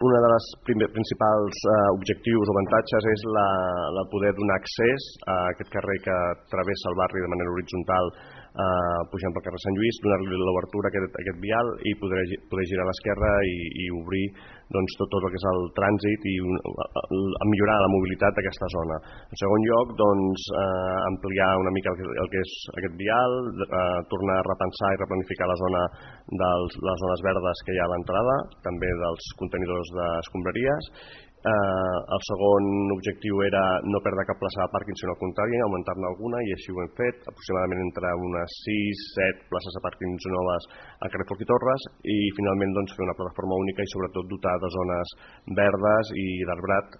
una de les principals objectius o avantatges és la poder donar accés a aquest carrer que travessa el barri de manera horitzontal, pujant pel carrer Sant Lluís, donar-li l'obertura a aquest vial i poder girar a l'esquerra i obrir tot el que és el trànsit i millorar la mobilitat d'aquesta zona. En segon lloc, ampliar una mica el que és aquest vial, tornar a repensar i replanificar la zona de les zones verdes que hi ha a l'entrada, també dels contenidors d'escombraries. El segon objectiu era no perdre cap plaça de pàrquing, sinó al contrari, augmentar-ne alguna, i així ho hem fet, aproximadament entre unes 6-7 places de pàrquings noves al carrer Foc i Torres, i finalment fer una plataforma única i sobretot dotar de zones verdes i d'arbrat